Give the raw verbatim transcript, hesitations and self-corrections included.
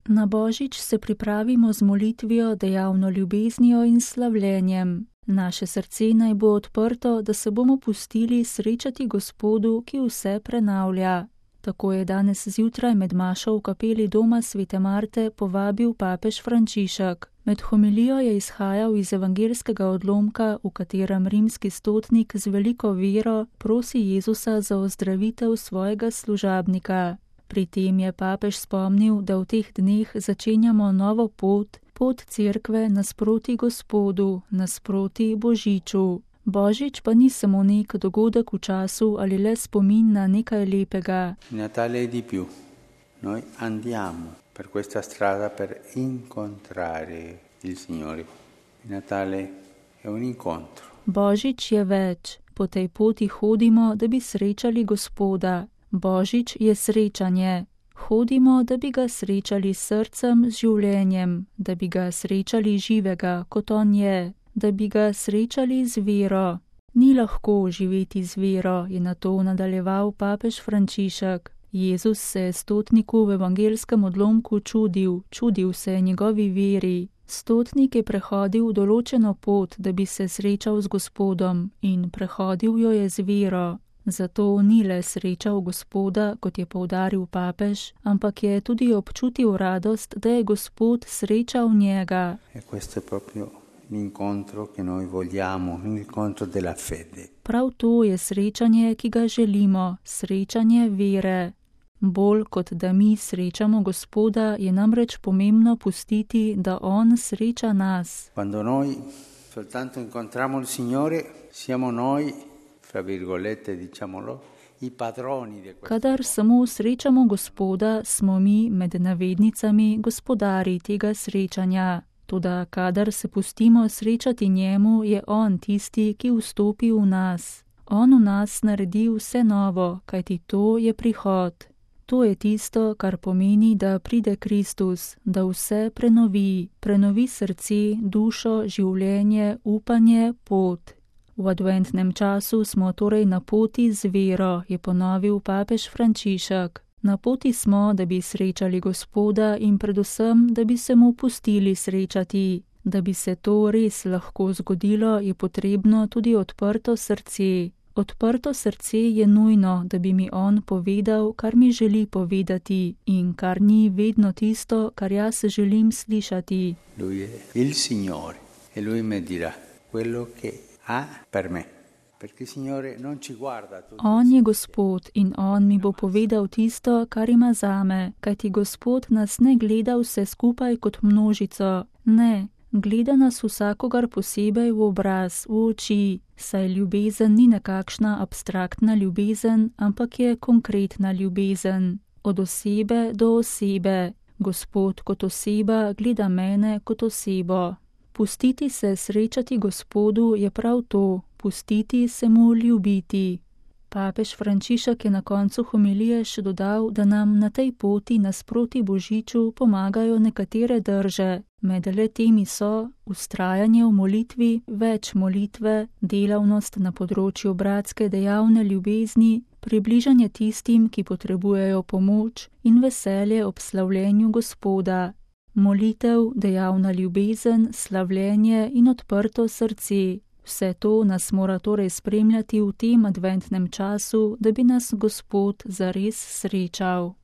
Na Božič se pripravimo z molitvijo, dejavno ljubeznijo in slavljenjem. Naše srce naj bo odprto, da se bomo pustili srečati Gospodu, ki vse prenavlja. Tako je danes zjutraj med mašo v kapeli doma svete Marte povabil papež Frančišek. Med homilijo je izhajal iz evangelskega odlomka, v katerem rimski stotnik z veliko vero prosi Jezusa za ozdravitev svojega služabnika. Pri tem je papež spomnil, da v teh dneh začenjamo novo pot, pot cerkve nasproti Gospodu, nasproti Božiču. Božič pa ni samo nek dogodek v času ali le spomin na nekaj lepega. Natale è di più. Noi andiamo per questa strada per incontrare il Signore. Natale è un incontro. Božič je več. Po tej poti hodimo, da bi srečali Gospoda. Božič je srečanje. Hodimo, da bi ga srečali s srcem, z življenjem, da bi ga srečali živega, kot on je, da bi ga srečali z vero. Ni lahko živeti z vero, je nato nadaljeval papež Frančišek. Jezus se je stotniku v evangelskem odlomku čudil, čudil se je njegovi veri. Stotnik je prehodil določeno pot, da bi se srečal z Gospodom, in prehodil jo je z vero. Zato ni le srečal Gospoda, kot je poudaril papež, ampak je tudi občutil radost, da je Gospod srečal njega. E questo è proprio l'incontro che noi vogliamo, l'incontro della fede. Prav to je srečanje, ki ga želimo, srečanje vere. Bolj kot da mi srečamo Gospoda, je namreč pomembno pustiti, da on sreča nas. Quando noi soltanto incontriamo il Signore, siamo noi, fra virgolette, diciamolo, i padroni di questo. Kadar samo srečamo Gospoda, smo mi med navednicami gospodari tega srečanja. Toda kadar se pustimo srečati njemu, je on tisti, ki vstopi v nas. On v nas naredi vse novo, kajti to je prihod. To je tisto, kar pomeni, da pride Kristus, da vse prenovi, prenovi srce, dušo, življenje, upanje, pot. V adventnem času smo torej na poti z vero, je ponovil papež Frančišek. Na poti smo, da bi srečali Gospoda in predvsem, da bi se mu pustili srečati. Da bi se to res lahko zgodilo, je potrebno tudi odprto srce. Odprto srce je nujno, da bi mi on povedal, kar mi želi povedati in kar ni vedno tisto, kar jaz želim slišati. Lui è il Signore e lui mi dirà quello che ha per me. Perché il Signore non ci guarda tutti. On je Gospod in on mi bo povedal tisto, kar ima zame, kajti Gospod nas ne gleda vse skupaj kot množico. Ne, gleda nas vsakogar posebej v obraz, v oči, saj ljubezen ni nekakšna abstraktna ljubezen, ampak je konkretna ljubezen. Od osebe do osebe. Gospod kot oseba gleda mene kot osebo. Pustiti se srečati Gospodu je prav to, pustiti se mu ljubiti. Papež Frančišek je na koncu homilije še dodal, da nam na tej poti nasproti Božiču pomagajo nekatere drže. Med le temi so vztrajanje v molitvi, več molitve, delavnost na področju bratske dejavne ljubezni, približanje tistim, ki potrebujejo pomoč in veselje ob slavljenju Gospoda. Molitev, dejavna ljubezen, slavljenje in odprto srce. Vse to nas mora torej spremljati v tem adventnem času, da bi nas Gospod zares srečal.